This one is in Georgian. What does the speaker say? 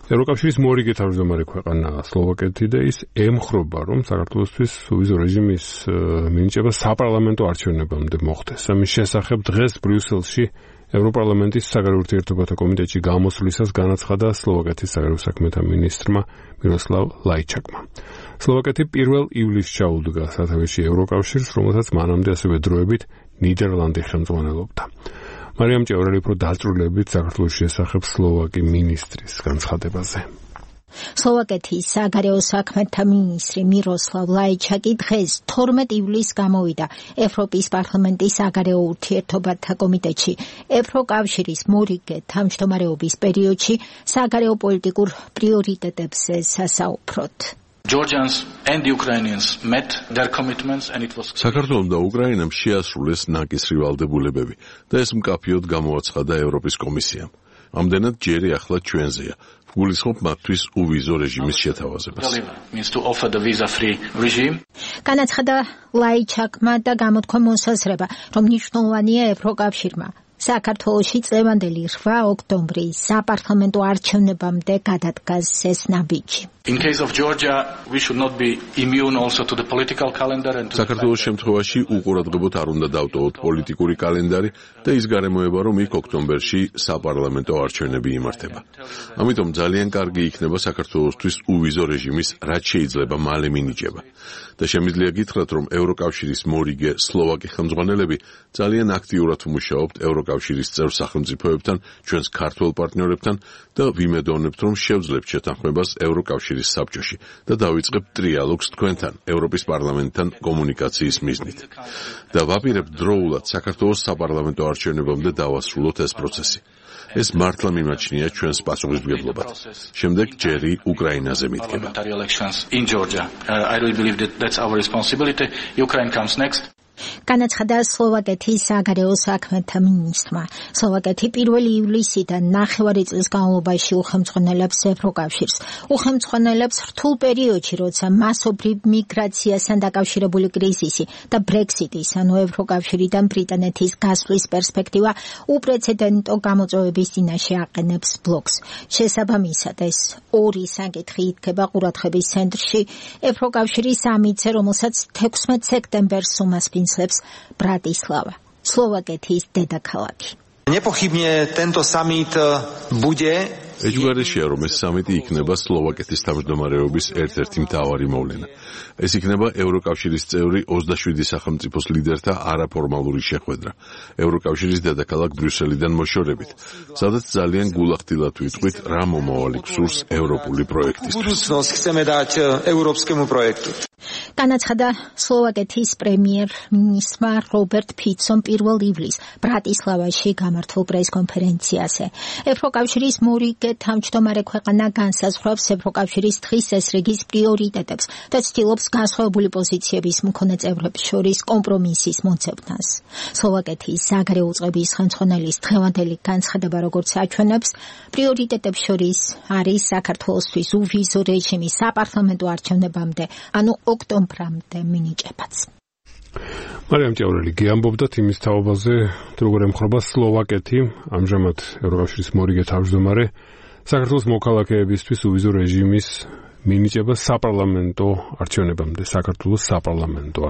ევროკავშირის მორიგი თავმჯდომარე ქვეყანაა სლოვაკეთი და ის ემხრობა, რომ საქართველოსთვის სუვიზო რეჟიმის მინიჭება საპარლამენტო არჩევნებამდე მოხდეს. ამის შესახებ დღეს ბრიუსელში ევროპარლამენტის საგარეო ურთიერთობათა კომიტეტში გამოსვლისას განაცხადა სლოვაკეთის საგარეო საქმეთა მინისტრმა მიროსლავ ლაიჩაკმა. სლოვაკეთი 1 ივლისს ჩაუდგა სათავეში ევროკავშირს, რომელსაც მანამდე ასევე დროებით ნიდერლანდი ხელმძღვანელობდა. მარიამ ჭევრელი უფრო დაწვრილებით საქართველოს შესახებ სლოვაკი მინისტრის განცხადებაზე. სლოვაკეთის საგარეო საქმეთა მინისტრი მიროსლავ ლაიჩაკი დღეს 12 ივლისს გამოვიდა ევროპის პარლამენტის საგარეო ურთიერთობათა კომიტეტში ევროკავშირის მორიგე თავმჯდომარეობის პერიოდში საგარეო პოლიტიკურ პრიორიტეტებზე სასაუბროდ. საქართველომ და უკრაინამ შეასრულეს ნაკისრი ვალდებულებები და ეს მკაფიოდ გამოაცხადა ევროპის კომისიამ. ამდენად ჯერი ახლა ჩვენზეა. გულისხმობ მათთვის უვიზო რეჟიმის შეთავაზებას. განაცხადა ლაიჩაკმა და გამოთქვა მოსაზრება, რომ მნიშვნელოვანია ევროკავშირმა საქართველოში წლევანდელი 8 ოქტომბრის საპარლამენტო არჩევნებამდე გადადგას ეს ნაბიჯი. საქართველოს შემთხვევაში უყურადღებოდ არ უნდა დავტოვოთ პოლიტიკური კალენდარი და ის გარემოება, რომ იქ ოქტომბერში საპარლამენტო არჩევნები იმართება. ამიტომ ძალიან კარგი იქნება საქართველოსთვის უვიზო რეჟიმის რაც შეიძლება მალე მინიჭება. და შემიძლია გითხრათ, რომ ევროკავშირის მორიგე სლოვაკი ხელმძღვანელები ძალიან აქტიურად მუშაობთ ევროკავშირის წევრ სახელმწიფოებთან, ჩვენს ქართველ პარტნიორებთან და ვიმედოვნებთ, რომ შევძლებთ შეთანხმებას ევროკავშირის საბჭოში და დავიწყებთ ტრიალოგს თქვენთან, ევროპის პარლამენტთან კომუნიკაციის მიზნით. და ვაპირებთ დროულად საქართველოს საპარლამენტო არჩევნებამდე დავასრულოთ ეს პროცესი. ეს მართლა მიმაჩნია ჩვენს პასუხისმგებლობად. შემდეგ ჯერი უკრაინაზე მიდგება. განაცხადა სლოვაკეთის საგარეო საქმეთა მინისტრმა. სლოვაკეთი 1 ივლისიდან 9 წლის განმავლობაში უხელმძღვანელებს ევროკავშირს. უხელმძღვანელებს რთულ პერიოდში, როცა მასობრივ მიგრაციასთან დაკავშირებული კრიზისი და ბრექსიტის, ანუ ევროკავშირიდან ბრიტანეთის გასვლის პერსპექტივა უპრეცედენტო გამოწვევების წინაშე აყენებს ბლოკს. შესაბამისად, ეს ორი საკითხი იდგება ყურადღების ცენტრში ევროკავშირის სამიტზე, რომელსაც 16 სექტემბერს უმასპინძლებს ბრატისლავა, სლოვაკეთის დედაქალაქი. Nepochybne tento summit bude ეჯგარეშია, რომ ეს სამიტი იქნება სლოვაკეთის თავმჯდომარეობის ერთ-ერთი მთავარი მოვლენა. ეს იქნება ევროკავშირის წევრი 27 სახელმწიფოს ლიდერთა არაფორმალური შეხვედრა ევროკავშირის დედაქალაქ ბრიუსელიდან მოშორებით, სადაც ძალიან გულახდილად ვიტყვით, რა მომავალი გსურს ევროპული პროექტისთვის. განაცხადა სლოვაკეთის პრემიერ-მინისტრმა რობერტ ფიცომ 1 ივლისს ბრატისლავაში გამართულ პრესკონფერენციაზე. ევროკავშირის მორიგე თავმჯდომარე ქვეყანა განსაზღვრავს ევროკავშირის დღის წესრიგის პრიორიტეტებს და ცდილობს განსხვავებული პოზიციების მქონე წევრებს შორის კომპრომისის მოძებნას. სლოვაკეთის საგარეო უწყების ხელმძღვანელის დღევანდელი განცხადება, როგორც აჩვენებს, პრიორიტეტებს შორის არის საქართველოსთვის უვიზო რეჟიმის საპარლამენტო არჩევნებამდე, ანუ ოქტომბრამდე მინიჭებაც. მარიამ ჭევრელი გეამბობდათ იმის თაობაზე, როგორ ემხრობა სლოვაკეთი, ამჟამად ევროკავშირის მორიგე თავმჯდომარე, საქართველოს მოქალაქეებისთვის უვიზო რეჟიმის მინიჭება საპარლამენტო არჩევნებამდე, საქართველოს საპარლამენტო